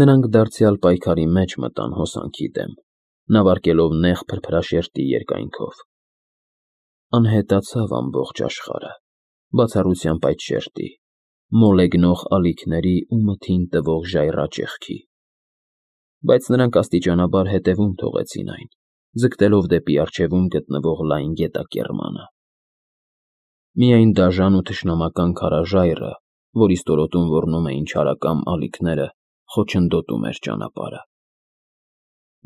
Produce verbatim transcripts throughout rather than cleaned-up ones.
Նրանք դարձյալ պայքարի մեջ մտան հոսանքի դեմ, նավարկելով նեղ փրփրաշերտի երկայնքով։ Անհետացավ ամբողջ աշխարհը, բացառությամբ այդ շերտի, մոլեգնող ալիքների ու մթին տվող ժայռաճեղքի։ Բայց նրանք աստիճանաբար հետևում թողեցին այն, ձգտելով դեպի առջևում գտնվող լայն գետակեռմանը։ Միայն դաժան ու թշնամական քարաժայռը, որի ստորոտում ոռնում էին չարակամ ալիքները, խոչընդոտում էր ճանապարհը։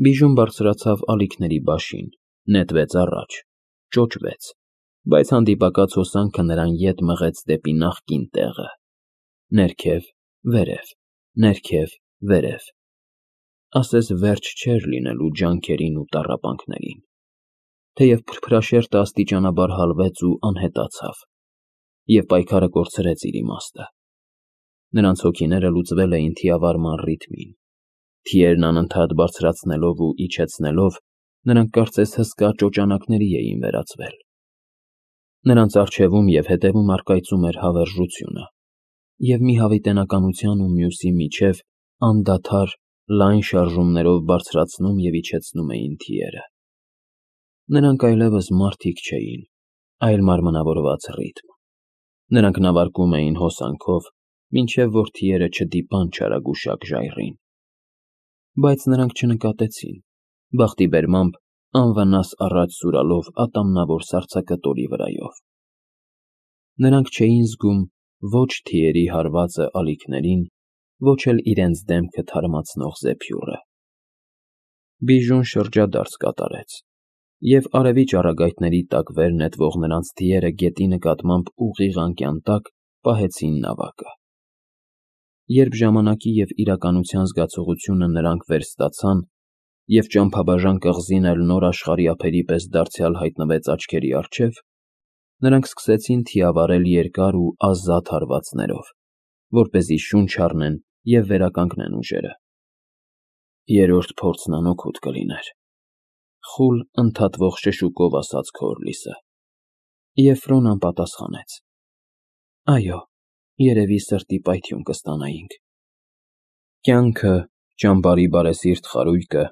Բիժուն բարձրացավ ալիքների բաշին, նետվեց առաջ, ճոճվեց, բայց հանդիպակաց հոսանքը նրան ետ մղեց դեպի նախկին տեղը՝ ներքև, վերև, ներքև, վերև, ասես վերջ չէր լինելու ջանքերին ու տառապանքներին, թեև փրփրաշերտը աստիճանաբար հալվեց ու անհետացավ, և պայքարը կորցրեց իր իմաստը։ Նրանց հոգիները լուծվել էին թիավարման ռիթմին, թիերն անընդհատ բարձրացնելով ու իջեցնելով, նրանք կարծես հսկա ճոճանակների էին վերածվել։ Նրանց առջևում և հետևում առկայծում էր հավերժությունը, և մի հավիտենականության ու մյուսի միջև անդադար լայն շարժումներով բարձրացնում և իջեցնում էին թիերը։ Նրանք այլևս մարդիկ չէին, այլ մարմնավորված ռիթմ։ Նրանք նավարկում էին հոսանքով, մինչև որ թիերը չդիպան չարագուշակ ժայռին։ Բայց նրանք չնկատեցին, բախտի բերմամբ անվնաս առաջ սուրալով ատամնավոր սառցակտորի վրայով։ Նրանք չէին զգում ոչ թիերի հարվածը ալիքներին, ոչ էլ իրենց դեմքը թարմացնող զեփյուռը։ Բիժուն շրջադարձ կատարեց, և արևի ճառագայթների տակ վեր նետվող նրանց թիերը գետի նկատմամբ ուղիղ անկյան տակ պահեցին նավակը։ Երբ ժամանակի և իրականության զգացողությունը նրանք վերստացան, և ճամփաբաժան կղզին էլ նոր աշխարհի ափերի պես դարձյալ հայտնվեց աչքերի առջև, նրանք սկսեցին թիավարել երկար ու ազատ հարվածներով, որպեսզի շունչ առնեն և վերականգնեն ուժերը։ Երրորդ փորձն անօգուտ կլիներ, խուլ ընդհատվող շշուկով ասաց Քորլիսը, և Ֆրոնան պատասխանեց. Այո, երևի սրտի պայթյուն կստանայինք։ Կյանքը, ճամբարի բարեսիրտ խարույկը,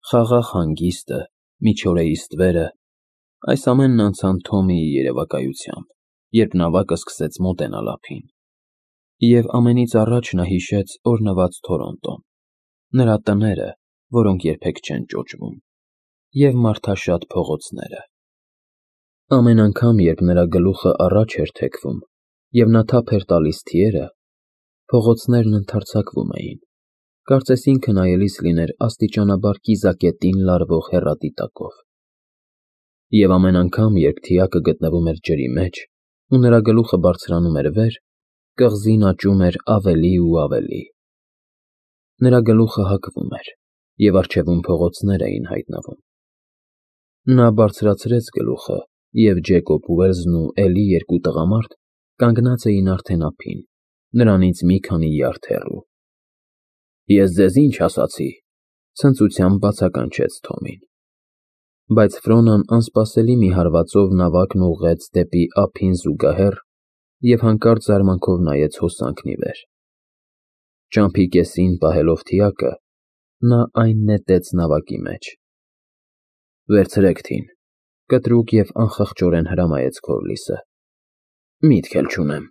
խաղաղ հանգիստը, միջօրեի ստվերը, այս ամենն անցան Թոմիի երևակայությամբ, երբ նավակը սկսեց մոտենալ ափին։ Եվ ամենից առաջ նա հիշեց օրհնված Թորոնտոն, նրա տները, որոնք երբեք չեն ճոճվում, և մարդաշատ փողոցները։ Ամեն անգամ, երբ նրա գլուխը առաջ էր թեքվում, և նա թափ էր տալիս թիերը, փողոցներն ընդարձակվում էին, կարծես ինքը նայելիս լիներ աստիճանաբար կիզակետին լարվող հեռադիտակով։ Եվ ամեն անգամ, երբ թիակը գտնվում էր ջրի մեջ, ու նրա գլուխը բարձրանում էր վեր, կղզին աճում էր ավելի ու ավելի։ Նրա գլուխը հակվում էր, և առջևում փողոցներ էին հայտնվում։ Նա բարձրացրեց գլուխը, և Ջեկոբ Ուելսն ու էլի երկու տղամարդ կանգնած էին արդեն ափին, նրանից մի քանի յարդ հեռու։ Ես ձեզ ինչ ասացի, ցնծությամբ բացականչեց Թոմին։ Բայց Ֆրոնան անսպասելի մի հարվածով նավակն ուղղեց դեպի ափին զուգահեռ և հանկարծ զարմանքով նայեց հոսանքն ի վեր։ Ճամփի կեսին պահելով թիակը, նա այն նետեց նավակի մեջ։ Վերցրեք թին, կտրուկ և անխղճորեն հրամայեց Քորլիսը։ Միտք էլ չունեմ։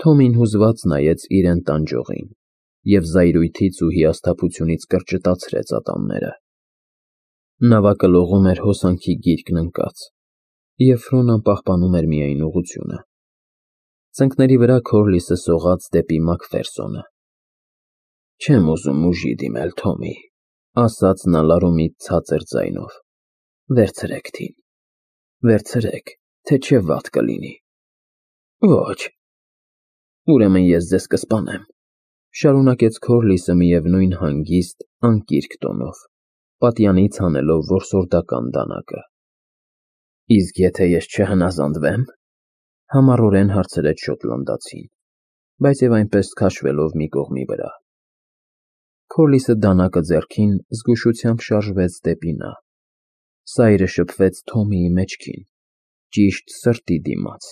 Թոմին հուզված նայեց իրեն տանջողին և զայրույթից ու հիասթափությունից կրճտացրեց ատամները։ Նավակը լողում էր հոսանքի գիրկն ընկած, և Ֆրոնան պահպանում էր միայն ուղղությունը։ Ծնկների վրա Քորլիսը սողաց դեպի Մակֆերսոնը։ Չեմ ուզում ուժի դիմել, Թոմի, ասաց նա լարումից ցածր ձայնով։ Վերցրեք թին, վերցրեք, թե չէ վատ կլինի։ Ոչ։ Ուրեմն ես ձեզ կսպանեմ, շարունակեց Քորլիսը միևնույն հանգիստ, անկիրք տոնով, պատյանից հանելով որսորդական դանակը։ Իսկ եթե ես չհնազանդվեմ, համառորեն հարցրեց շոտլանդացին, բայց և այնպես քաշվելով մի կողմի վրա։ Քորլիսը դանակը ձեռքին զգուշությամբ շարժվեց դեպի նա։ Սայրը շփվեց Թոմիի մեջքին, ճիշտ սրտի դիմաց,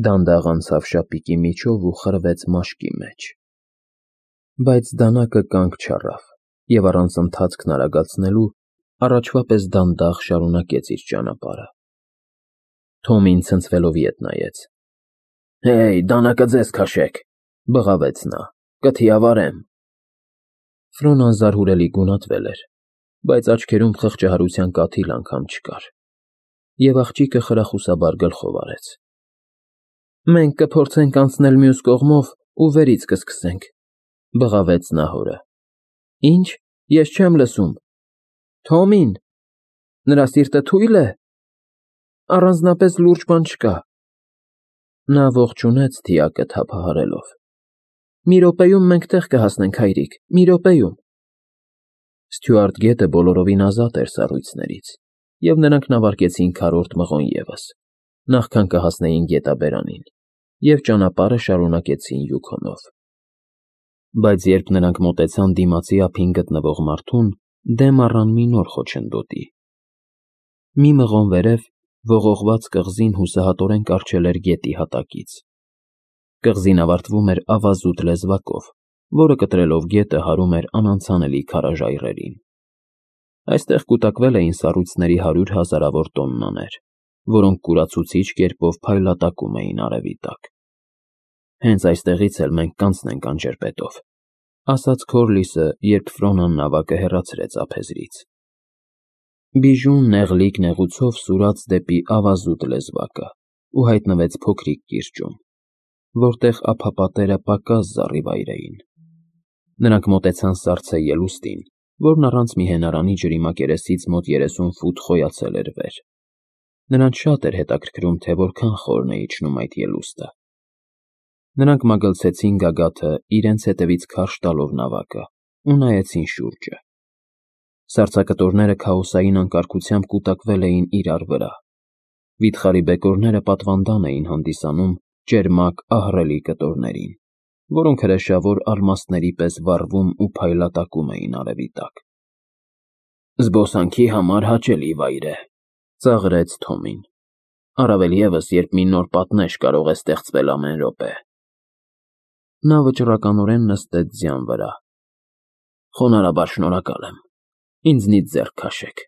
դանդաղ անցավ շապիկի միջով ու խրվեց մաշկի մեջ։ Բայց դանակը կանգ չառավ և առանց ընթացքն արագացնելու առաջվա պես դանդաղ շարունակեց իր ճանապարհը։ Թոմին ցնցվելով ետ նայեց։ «Հեյ, դանակը ձեզ քաշեք,֊ բղավեց նա,֊ կթիավարեմ»։ Ֆրոնան զարհուրելի գունատվել էր, բայց աչքերում խղճահարության կաթիլ անգամ չկար, և աղջիկը խրախուսաբար գլխով արեց։ «Մենք կփորձենք անցնել մյուս կողմով ու վերից կսկսենք,֊ բղավեց նա հորը։ Ինչ, ես չեմ լսում… Թոմին… նրա սիրտը թույլ է… առանձնապես լուրջ բան չկա… Նա ողջունեց դիակը թափահարելով։ «Մի րոպեում մենք տեղ կհասնենք, հայրիկ, մի րոպեում»։ Ստյուարտ գետը բոլորովին ազատ էր սառույցներից, և նրանք նավարկեցին քառորդ մղոն ևս, նախքան կհասնեին գետաբերանին, և ճանապարհը շարունակեցին Յուքոնով։ Բայց երբ նրանք մոտեցան դիմացի ափին գտնվող մարդուն, դեմ առան մի նոր խոչընդոտի։ Մի մղոն վերև ողողված կղզին հուսահատորեն կառչել էր գետի հատակից։ Կղզին ավարտվում էր ավազուտ լեզվակով, որը կտրելով գետը հարում էր անանցանելի քարաժայռերին։ Այստեղ կուտակվել էին սառույցների հարյուր հազարավոր տոննաներ, որոնք կուրացուցիչ կերպով փայլատակում էին արևի տակ։ «Հենց այստեղից էլ մենք կանցնենք անջրպետով,֊ ասաց Քորլիսը, երբ Ֆրոնան նավակը հեռացրեց ափերից։ Բիժուն նեղլիկ նեղուցով սուրաց դեպի ավազուտ լեզվակը ու հայտնվեց փոքրիկ կիրճում, որտեղ ափապատերը պակաս զառիվայր էին։ Նրանք մոտեցան սառցե ելուստին, որն առանց մի հենարանի ջրի մակերեսից մոտ երեսուն ֆուտ խոյացել էր վեր։ Նրանց շատ էր հետաքրքրում, թե որքան խորն է իջնում այդ ելուստը։ Նրանք մագլցեցին գագաթը, իրենց հետևից քարշ տալով նավակը, ու նայեցին շուրջը։ Սառցակտորները քաոսային անկարգությամբ կուտակվել էին իրար վրա։ Վիթխարի բեկորները պատվանդան էին հանդիսանում ճերմակ ահռելի կտորներին, որոնք հրեշավոր ալմաստների պես վառվում ու փայլատակում էին արևի տակ։ «Զբոսանքի համար հաճելի վայր է,֊ ծաղրեց Թոմին,֊ առավել ևս, երբ մի նոր պատնեշ կարող է ստեղծվել ամեն րոպե»։ Նա վճռականորեն նստեց ձյան վրա։ «Խոնարհաբար շնորհակալ եմ, ինձնից ձեռք քաշեք»։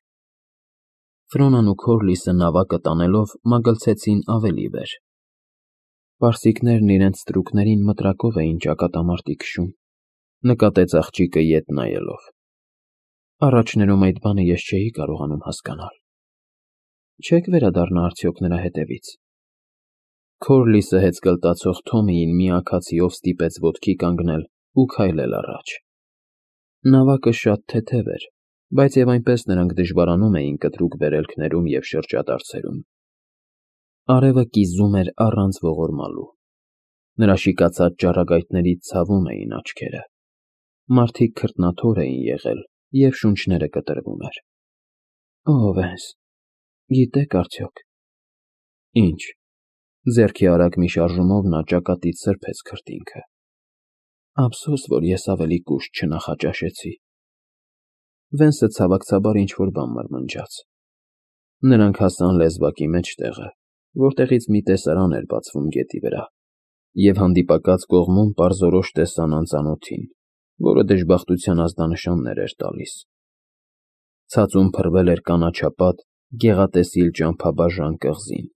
Ֆրոնան ու Քորլիսը նավակը տանելով մագլցեցին ավելի վեր։ Պարսիկներն իրենց ստրուկներին մտրակով էին ճակատամարտի քշում,֊ նկատեց աղջիկը ետ նայելով։ Առաջներում այդ բանը ես չէի կարողանում հասկանալ։ Չե՞ք վերադառնա արդյոք նրա հետևից։ Քորլիսը հեծկլտացող Թոմիին մի աքացիով ստիպեց ոտքի կանգնել ու քայլել առաջ։ Նավակը շատ թեթև էր, բայց և այնպես նրանք դժվարանում էին կտրուկ վերելքներում և շրջադարձերում։ Արևը կիզում էր առանց ողորմալու։ Նրա շիկացած ճառագայթներից ցավում էին աչքերը։ Մարդիկ քրտնաթոր էին եղել, և շունչները կտրվում էր։ Ո՞վ ես, գիտե՞ք արդյոք։ Ինչ։ Ձեռքի արագ մի շարժումով նա ճակատից սրբեց քրտինքը։ Ափսոս, որ ես ավելի կուշտ չնախաճաշեցի։ Վենսը ցավակցաբար ինչ֊որ բան մրմնջաց։ Նրանք հասան լեզվակի մեջտեղը, որտեղից մի տեսարան էր բացվում գետի վրա, և հանդիպակաց կողմում պարզորոշ տեսան անծանոթին, որը դժբախտության ազդանշաններ էր տալիս։ Ցածուն փռվել էր կանաչապատ, գեղատեսիլ ճամփաբաժան կղզին։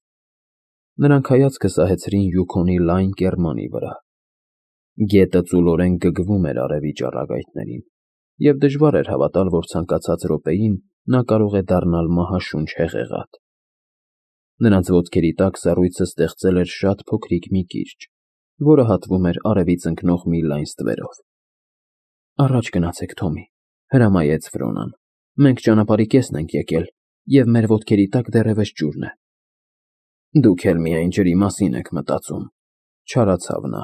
Նրանք հայացքը սահեցրին Յուքոնի լայն կեռմանի վրա։ Գետը ծուլորեն գգվում էր արևի ճառագայթներին, և դժվար էր հավատալ, որ ցանկացած րոպեին նա կարող է դառնալ մահաշունչ հեղեղատ։ Նրանց ոտքերի տակ սառույցը ստեղծել էր շատ փոքրիկ մի կիրճ, որը հատվում էր արևից ընկնող մի լայն ստվերով։ Առաջ գնացեք, Թոմի,֊ հրամայեց Ֆրոնան։ Մենք ճանապարհի կեսն ենք եկել, և մեր ոտքերի տակ դեռևս ջուրն է։ Դուք էլ միայն ջրի մասին եք մտածում,֊ չարացավ նա,֊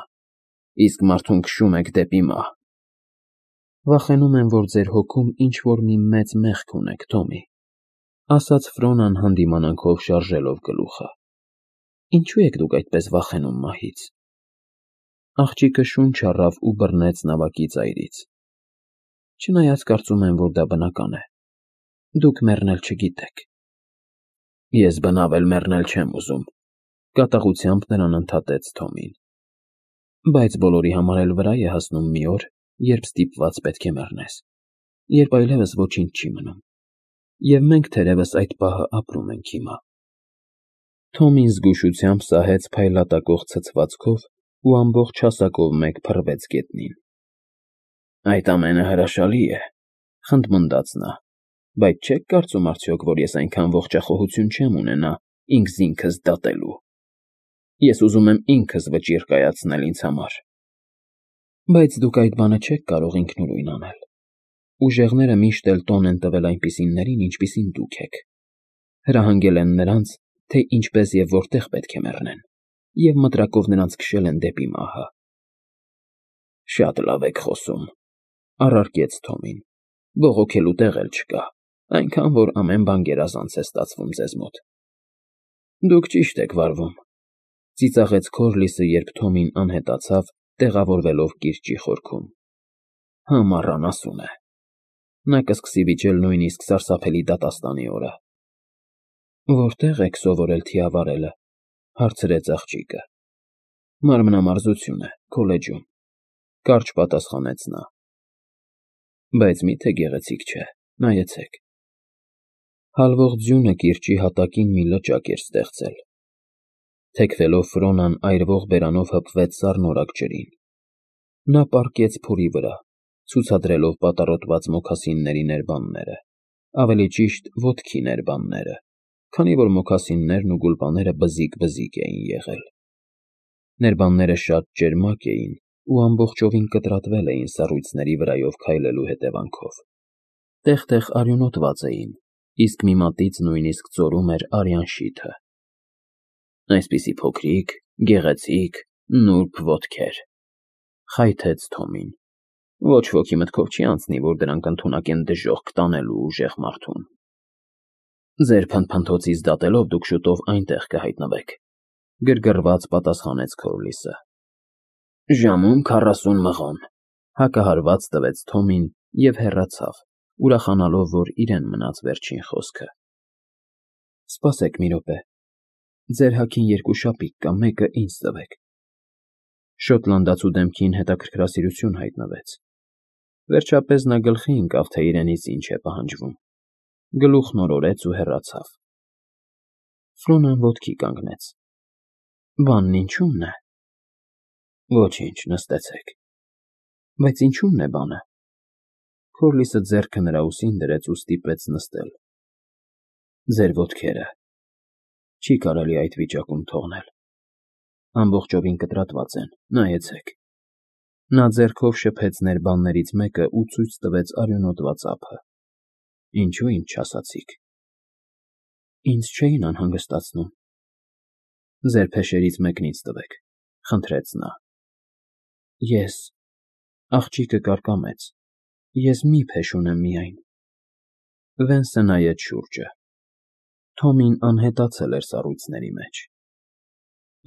իսկ մարդուն քշում եք դեպի մահ։ Վախենում եմ, որ ձեր հոգում ինչ֊որ մի մեծ մեղք ունեք, Թոմի,֊ ասաց Ֆրոնան հանդիմանանքով շարժելով գլուխը։ Ինչո՞ւ եք դուք այդպես վախենում մահից։ Աղջիկը շունչ առավ ու բռնեց նավակի ծայրից։ Չնայած կարծում եմ, որ դա բնական է։ Դուք մեռնել չգիտեք։ Ես բնավ էլ մեռնել չեմ ուզում,֊ կատաղությամբ նրան ընդհատեց Թոմին։ Բայց բոլորի համար էլ վրա է հասնում մի օր, երբ ստիպված պետք է մեռնես, երբ այլևս ոչինչ չի մնում, և մենք թերևս այդ պահը ապրում ենք հիմա։ Թոմին զգուշությամբ սահեց փայլատակող ցցվածքով ու ամբողջ հասակով մեկ փռվեց գետնին։ Այդ ամենը հրաշալի է, խնդմնդաց նա, բայց չե՞ք կարծում արդյոք, որ ես այնքան ողջախոհություն չեմ ունենա ինքս ինքս դատելու։ Ես ուզում եմ ինքս վճիռ կայացնել ինձ համար։ Բայց դուք այդ բանը չեք կարող ինքնուրույն անել։ Ուժեղները միշտ էլ տոն են տվել այնպիսիներին, ինչպիսին դուք եք։ Հրահանգել են նրանց, թե ինչպես և որտեղ պետք է մեռնեն, և մտրակով նրանց քշել են դեպի մահը։ Շատ լավ եք խոսում, առարկեց Թոմին, բողոքելու տեղ էլ չկա, այնքան որ ամեն բան գերազանց է ստացվում ձեզ մոտ։ Դուք ճիշտ եք վարվում, ծիծաղեց Քորլիսը, երբ Թոմին անհետացավ, տեղավորվելով կիրճի խորքում։ Համառանասուն է։ Նա կսկսի վիճել նույնիսկ սարսափելի դատաստանի օրը։ Որտե՞ղ եք սովորել թիավարելը, հարցրեց աղջիկը։ Մարմնամարզություն է, քոլեջում, կարճ պատասխանեց նա։ Բայց մի՞թե գեղեցիկ չէ, նայեցեք։ Հալվող ձյունը կիրճի հատակին մի լճակ էր ստեղծել։ Թեքվելով Ֆրոնան այրվող բերանով հպվեց սառնորակ ջրին։ Նա պառկեց փորի վրա, ցուցադրելով պատառոտված մոքասինների ներբանները, ավելի ճիշտ ոտքի ներբանները, քանի որ մոքասիններն ու գուլպաները բզիկ֊բզիկ էին եղել։ Ներբանները շատ ճերմակ էին ու ամբողջովին կտրատվել էին սառույցների վրայով քայլելու հետևանքով։ Տեղ֊տեղ արյունոտված էին, իսկ մի մատից նույնիսկ ծորում էր արյան շիթը։ Այսպիսի փոքրիկ, գեղեցիկ, նուրբ ոտքեր, խայթեց Թոմին։ Ոչ ոքի մտքով չի անցնի, որ դրանք ընդունակ են դժոխք տանելու ուժեղ մարդուն։ Ձեր փնփնթոցից դատելով դուք շուտով այնտեղ կհայտնվեք, գրգռված պատասխանեց Քորլիսը։ Ժամում քառասուն մղոն, հակահարված տվեց Թոմին և հեռացավ, ուրախանալով, որ իրեն մնաց վերջին խոսքը։ Սպասեք մի րոպե, ձեր հագին երկու շապիկ կա, մեկը ինձ տվեք։ Շոտլանդացու դեմքին հետաքրքրասիրություն հայտնվեց։ Վերջապես նա գլխի ընկավ, թե իրենից ինչ է պահանջվում, գլուխն օրորեց ու հեռացավ։ Ֆրոնան ոտքի կանգնեց։ Բանն ինչու՞մն է։ Ոչինչ, նստեցեք։ Բայց ինչու՞մն է բանը։ Քորլիսը ձեռքը նրա ուսին դրեց ու ստիպեց նստել։ Ձեր ոտքերը։ Չի կարելի այդ վիճակում թողնել։ Ամբողջովին կտրատված են, նայեցեք։ Նա ձեռքով շփեց ներբաններից մեկը ու ցույց տվեց արյունոտված ափը։ Ինչու ինձ չասացիք։ Ինձ չէին անհանգստացնում։ Ձեր փեշերից մեկն ինձ տվեք, խնդրեց նա։ Ես… Աղջիկը կարկամեց։ Ես մի փեշ ունեմ միայն։ Վենսը նայեց շուրջը։ Թոմին անհետացել էր սառույցների մեջ։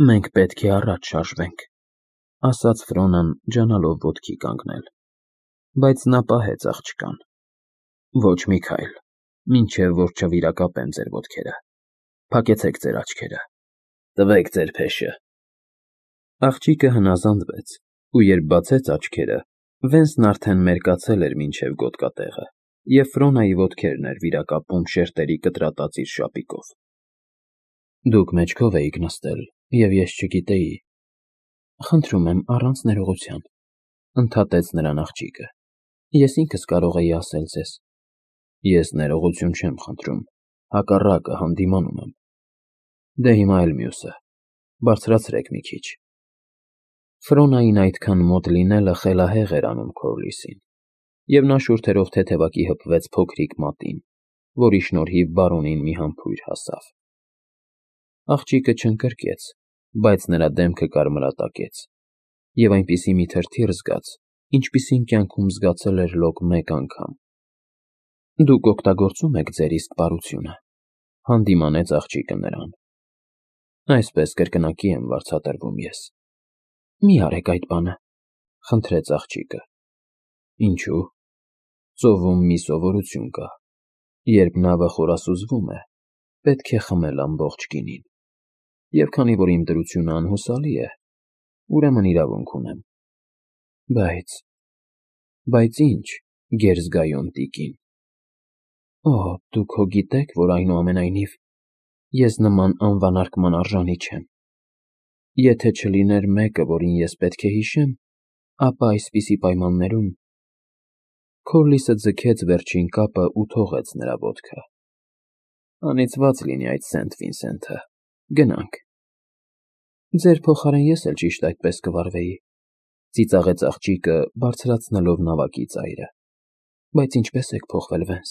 Մենք պետք է առաջ շարժվենք, ասաց Ֆրոնան, ջանալով ոտքի կանգնել։ Բայց նա պահեց աղջկան։ Ոչ մի քայլ, մինչև որ չվիրակապեմ ձեր ոտքերը։ Փակեցեք ձեր աչքերը։ Տվեք ձեր փեշը։ Աղջիկը հնազանդվեց, ու երբ բացեց աչքերը, Վենսն արդեն մերկացել էր մինչև գոտկատեղը, և Ֆրոնայի ոտքերն էր վիրակապում շերտերի կտրատած իր շապիկով։ Դուք մեջքով էիք նստել, և ես չգիտեի։ Խնդրում եմ, առանց ներողության, ընդհատեց նրան աղջիկը։ Ես ինքս կարող էի ասել ձեզ։ Ես ներողություն չեմ խնդրում, հակառակը, հանդիմանում եմ։ Դե հիմա էլ մյուսը, բարձրացրեք մի քիչ։ Ֆրոնային այդքան մոտ լինելը խելահեղ էր անում Քորլիսին, և նա շուրթերով թեթևակի հպվեց փոքրիկ մատին, որի շնորհիվ բարոնին մի համբույր հասավ։ Աղջիկը չընկրկեց, բայց նրա դեմքը կարմրատակեց, և այնպիսի մի թրթիռ զգաց, ինչպիսին կյանքում զգացել էր լոկ մեկ անգամ։ Դուք օգտագործում եք ձեր իսկ բարությունը, հանդիմանեց աղջիկը նրան։ Այսպես կրկնակի եմ վարձատրվում ես։ Մի արեք այդ բանը, խնդրեց աղջիկը։ Ինչու՞։ Ծովում մի սովորություն կա. երբ նավը խորասուզվում է, պետք է խմել ամբողջ գինին։ Եվ քանի որ իմ դրությունը անհուսալի է, ուրեմն իրավունք ունեմ։ Բայց… Բայց ինչ, գերզգայուն տիկին… Օ, դուք հո գիտեք, որ այնուամենայնիվ ես նման անվանարկման արժանի չեմ… Եթե չլիներ մեկը, որին ես պետք է հիշեմ, ապա այսպիսի պայմաններում… Քորլիսը ձգեց վերջին կապն ու թողեց նրա ոտքը։ Անիծված լինի այդ Սենթ Վինսենթը… Գնանք… Ձեր փոխարեն ես էլ ճիշտ այդպես կվարվեի,֊ ծիծաղեց աղջիկը, բարձրացնելով նավակի ծայրը։֊ Բայց ինչպե՞ս եք փոխվել, Վենս…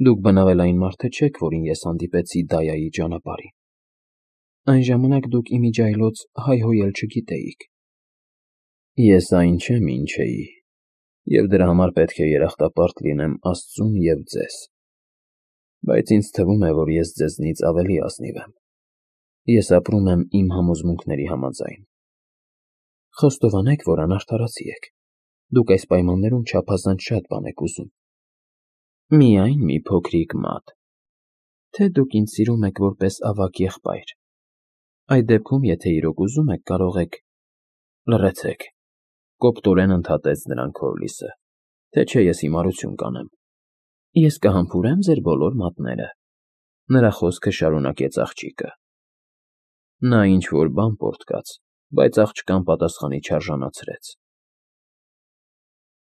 Դուք բնավելային մարդը չեք, որին ես հանդիպեցի Դայայի ճանապարհին… Այն ժամանակ դուք ի միջի այլոց հայհոյել չգիտեիք… Ես այն չեմ, ինչ էի, և դրա համար պետք է երախտապարտ լինեմ աստծուն և ձեզ… Բայց ինձ թվում է, որ ես ձեզնից ավելի ազնիվ եմ… Ես ապրում եմ իմ համոզմունքների համաձայն… Խոստովանեք, որ անարդարացի եք… Դուք այս պայմաններում չափազանց շատ բան եք ուզում… Միայն մի փոքրիկ մատ… Թե դուք ինձ սիրում եք որպես ավագ եղբայր… Այդ դեպքում, եթե իրոք ուզում եք, կարող եք… Լռեցեք,֊ կոպտորեն ընդհատեց նրան Քորլիսը,֊ թե չէ ես հիմարություն կանեմ… Ես կհամբուրեմ ձեր բոլոր մատները…֊ նրա խոսքը շարունակեց աղջիկը։ Նա ինչ֊որ բան պոռթկաց, բայց աղջկան պատասխանի չարժանացրեց։